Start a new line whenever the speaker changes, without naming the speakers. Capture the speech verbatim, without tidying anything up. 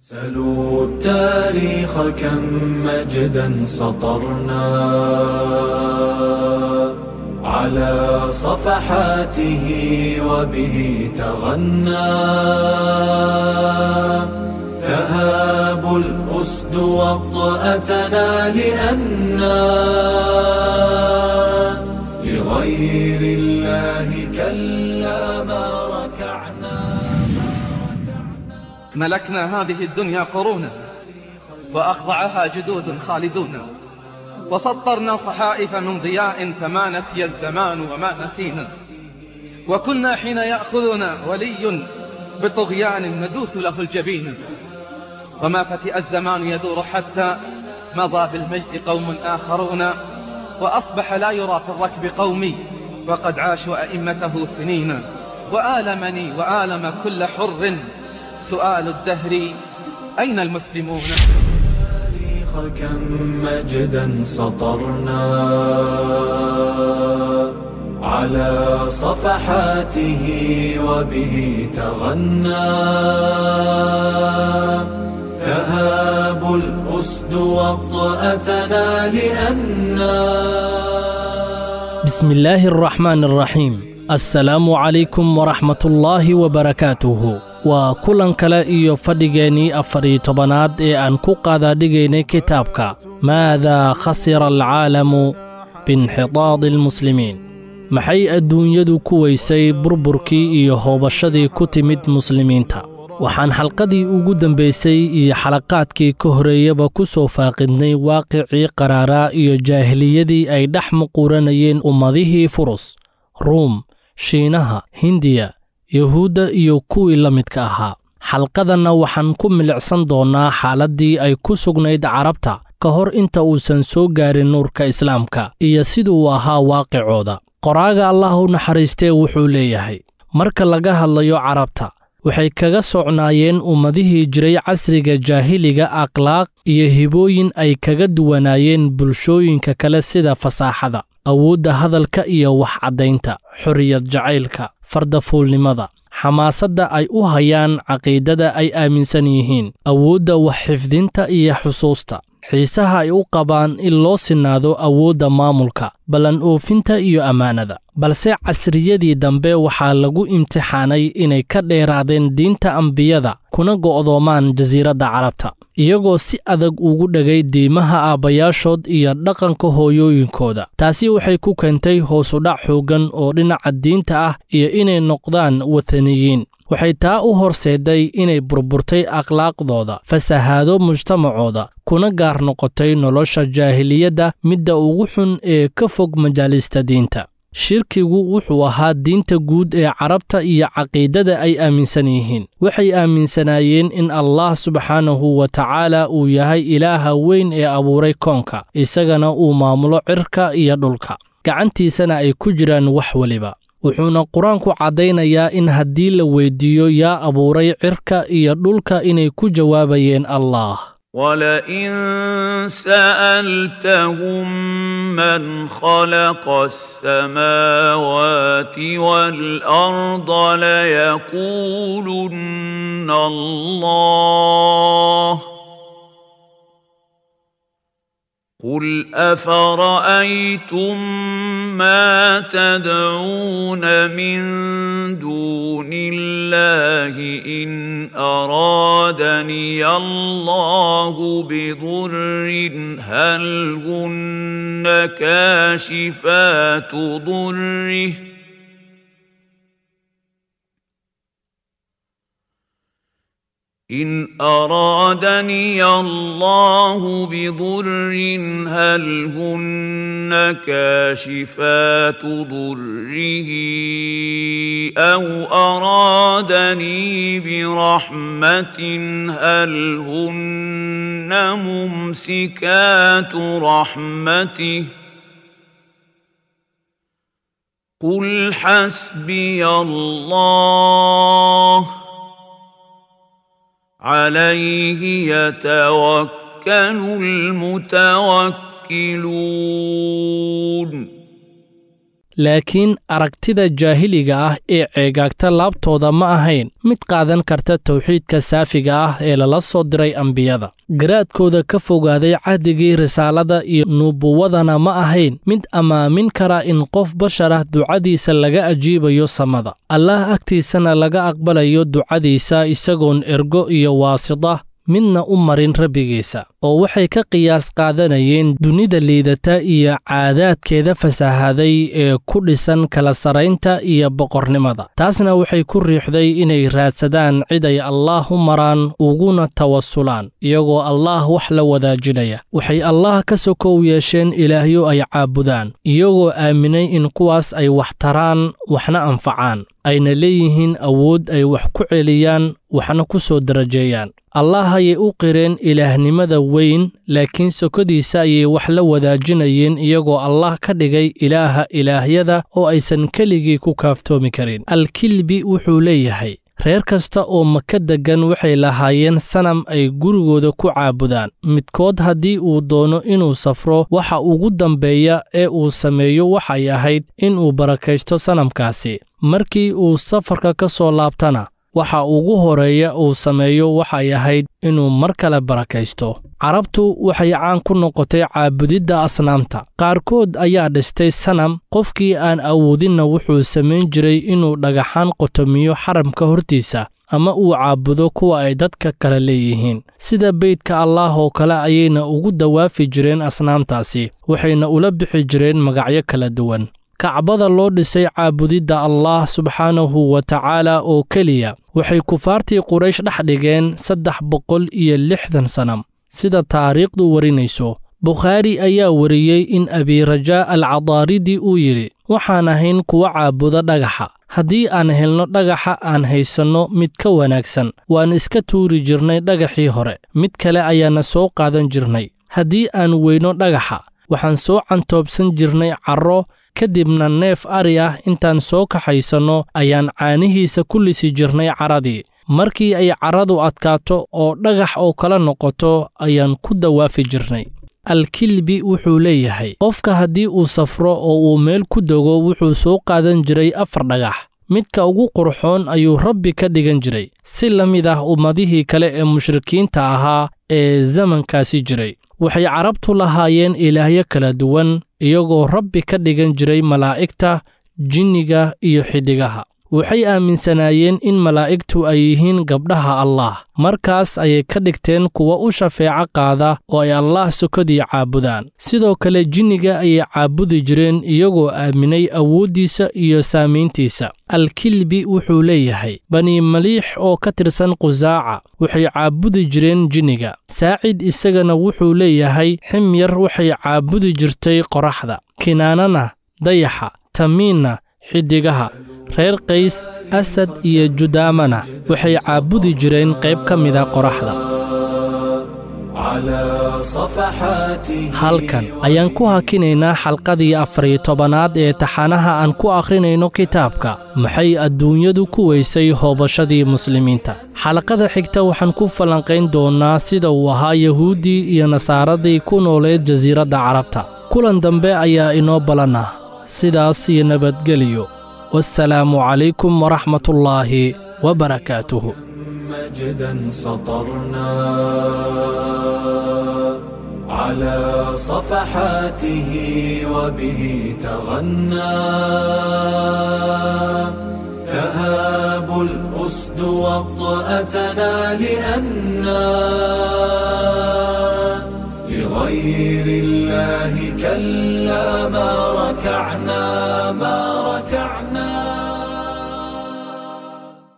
سلوا التاريخ كم مجدا سطرنا على صفحاته وبه تغنى تهاب الأسد وطأتنا لأنا لغير الله كلا ما ركعنا.
ملكنا هذه الدنيا قرونا وأخضعها جدود خالدون، وسطرنا صحائف من ضياء فما نسي الزمان وما نسينا، وكنا حين يأخذنا ولي بطغيان ندوث له الجبين، وما فتئ الزمان يدور حتى مضى بالمجد قوم آخرون، وأصبح لا يرى في الركب قومي وقد عاشوا أئمته سنين، وآلمني وآلم كل حر سؤال الدهر أين المسلمون؟
كم مجدا سطرنا على صفحاته وبه تغنى تهاب الأسد وطأتنا لأنا.
بسم الله الرحمن الرحيم. السلام عليكم ورحمة الله وبركاته. Waa kulan kale iyo fadhigeennii afar iyo tobanaad ee aan ku qaadaadhigaynay kitaabka Maadaa khasira alcaalamu biinxitaadi almuslimiin. Maxay adduunyadu ku weysay burburkii iyo hoobashadii ku timid muslimiinta? Waxaan xalqadii ugu dambaysay iyo xalaqaadkii ka horeeyaba ku soo faaqidnay waaqicii qaraaraa iyo jaahiliyadii ay dhex muquuranayeen ummadihii Furus, Ruum, Shiinaha, Hindiya, Yahuudda iyo kuwii la midka ahaa. Xalqadanna waxaan ku milicsan doonnaa xaaladdii ay ku sugnayd Carabta ka hor inta uusan soo gaarin nuurka Islaamka iyo siduu ahaa waaqicooda. Qoraaga Allah u naxariistee wuxuu leeyahay, marka laga hadlayo Carabta, waxay kaga socnaayeen ummadihii jiray casriga jaahiliga akhlaaq iyo hibooyin ay kaga duwanaayeen bulshooyinka kale sida fasaaxada, awoodda hadalka iyo wax caddaynta, xorriyad jacaylka, fardafuulnimada, xamaasadda ay u hayaan caqiidada ay aaminsan yihiin, awoodda wax xifdinta iyo xusuusta, xiisaha ay u qabaan in loo sinaado awoodda maamulka, ballan oofinta iyo ammaanada. Balse casriyadii dambe waxaa lagu imtixaanay inay ka dheeraadeen diinta ambiyada kuna go'doomaan jasiiradda Carabta, iyagoo si adag ugu dhegay diimaha aabbayaashood iyo dhaqanka hooyooyinkooda. Taasi waxay ku keentay hoos u dhac xooggan oo dhinaca diinta ah iyo inay noqdaan wathaniyiin. Waxay taa u horseeday inay burburtay akhlaaqdooda, fasahaado mujtamacooda, kuna gaar noqotay nolosha jaahiliyadda midda ugu xun ee ka fog majaalista diinta. Shirkigu wuxuu ahaa diinta guud ee Carabta iyo caqiidada ay aaminsan yihiin. Waxay aaminsanaayeen in Allah subxaanahu wa tacaala uu yahay ilaaha weyn ee abuuray koonka, isagana uu maamulo cirka iyo dhulka, gacantiisana ay ku jiraan wax waliba. Wuxuuna Qur-aanku caddaynayaa in haddii la weydiiyo yaa abuuray cirka iyo dhulka inay ku jawaabayeen Allah.
ولئن سألتهم من خلق السماوات والأرض ليقولن الله قل أفرأيتم ما تدعون من دون الله إن أرادني الله بضر هل هن كاشفات ضره إن أرادني الله بضر هل هن كاشفات ضره أو أرادني برحمة هل هن ممسكات رحمته قل حسبي الله عليه يتوكل المتوكلون.
Laakiin aragtida jaahiliga ah ee ceegaagta laabtooda ma ahayn mid qaadan karta tawxiidka saafiga ah ee lala soo diray ambiyada. Garaadkooda ka fogaaday cahdigii risaalada iyo nubuwadana ma ahayn mid ammaamin kara in qof bashar ah ducadiisa laga ajiibayo samada, Allaah agtiisana laga aqbalayo ducadiisa isagoon ergo iyo waasida midna u marin rabbigiisa, oo waxay ka qiyaas qaadanayeen dunida liidata iyo caadaadkeeda fasahaday ee ku dhisan kala saraynta iyo boqornimada. Taasna waxay ku riixday inay raadsadaan cid ay Allaah u maraan uguna tawasulaan, iyagoo Allaah wax la wadaajinaya. Waxay Allaah ka sokow yeesheen ilaahyo ay caabudaan, iyagoo aaminay in kuwaas ay wax taraan waxna anfacaan, ayna leeyihiin awood ay wax ku celiyaan waxna ku soo darajeeyaan. Allaah ayay u qireen ilaahnimada weyn, laakiin sokodiisa ayay wax la wadaajinayeen, iyagoo Allaah ka dhigay ilaaha ilaahyada oo aysan keligii ku kaaftoomi karin. Alkilbi wuxuu leeyahay, reer kasta oo Maka deggan waxay lahaayeen sanam ay gurigooda ku caabudaan. Midkood haddii uu doono inuu safro, waxa ugu dambeeya ee uu sameeyo waxay ahayd inuu barakaysto sanamkaasi. Markii uu safarka ka soo laabtana, waxa ugu horeeya uu sameeyo waxay ahayd inuu mar kale barakaysto. Carabtu waxay caan ku noqotay caabudidda asnaamta. Qaarkood ayaa dhistay sanam, qofkii aan awoodinna wuxuu samayn jiray inuu dhagaxaan qotomiyo xaramka hortiisa ama uu caabudo kuwa ay dadka kale leeyihiin. Sida beydka Allaah oo kale ayayna ugu dawaafi jireen asnaamtaasi, waxayna ula bixi jireen magacyo kala duwan. Kacbada loo dhisay caabudidda Allaah subxaanahu wa tacaala oo keliya waxay kufaartii Quraysh dhex dhigeen saddex boqol iyo lixdan sanam, sida taariikhdu warinayso. Bukhaari ayaa wariyey in Abirajaa Alcadaaridi uu yidhi, waxaan ahayn kuwa caabuda dhagaxa. Haddii aan helno dhagaxa aan haysanno mid ka wanaagsan, waan iska tuuri jirnay dhagaxii hore, mid kale ayaana soo qaadan jirnay. Haddii aan weyno dhagaxa, waxaan soo cantoobsan jirnay carro, kadibna neef ari ah intaan soo kaxaysanno ayaan caanihiisa ku lisi jirnay carradii. Markii ay carradu adkaato oo dhagax oo kala noqoto ayaan ku dawaafi jirnay. Alkilbi wuxuu leeyahay, qofka haddii uu safro oo uu meel ku dego wuxuu soo qaadan jiray afar dhagax. Midka ugu qurxoon ayuu Rabbi ka dhigan jiray, si la mid ah ummadihii kale ee mushrikiinta ahaa ee zamankaasi jiray. Waxay carabtu lahaayeen ilaahyo kala duwan, iyagoo Rabbi ka dhigan jiray malaa'igta, jinniga iyo xiddigaha. Waxay aaminsanaayeen in malaa'igtu ay yihiin gabdhaha Allaah. Markaas ayay ka dhigteen kuwa u shafeeco qaada oo ay Allaah sokodii caabudaan. Sidoo kale jinniga ayay caabudi jireen, iyagoo aaminay awooddiisa iyo saamayntiisa. Alkilbi wuxuu leeyahay, Bani Maliix oo ka tirsan Qusaaca waxay caabudi jireen jinniga. Saacid isagana wuxuu leeyahay, Ximyar waxay caabudi jirtay qoraxda, Kinaanana dayaxa, Tamiinna xiddigaha. Reer Qays, Asad iyo Judaamana waxay caabudi jireen qayb ka mida qoraxda. Halkan ayaan ku hakinaynaa xalqadii afar iyo tobanaad ee taxanaha aan ku akhrinayno kitaabka Maxay Adduunyadu ku weysay hoobashadii muslimiinta. Xalaqada xigta waxaan ku falanqayn doonaa sida uu ahaa Yahuuddii iyo Nasaaradii ku nooleed jasiiradda Carabta. Kulan dambe ayaa inoo balan ah. Sidaas iyo nabadgeliyo. والسلام عليكم ورحمة الله وبركاته.
مجدا سطرنا على صفحاته وبه تغنى، تهاب الأسد وطأتنا لأنا لغير الله كلا ما ركعنا ما ركعنا.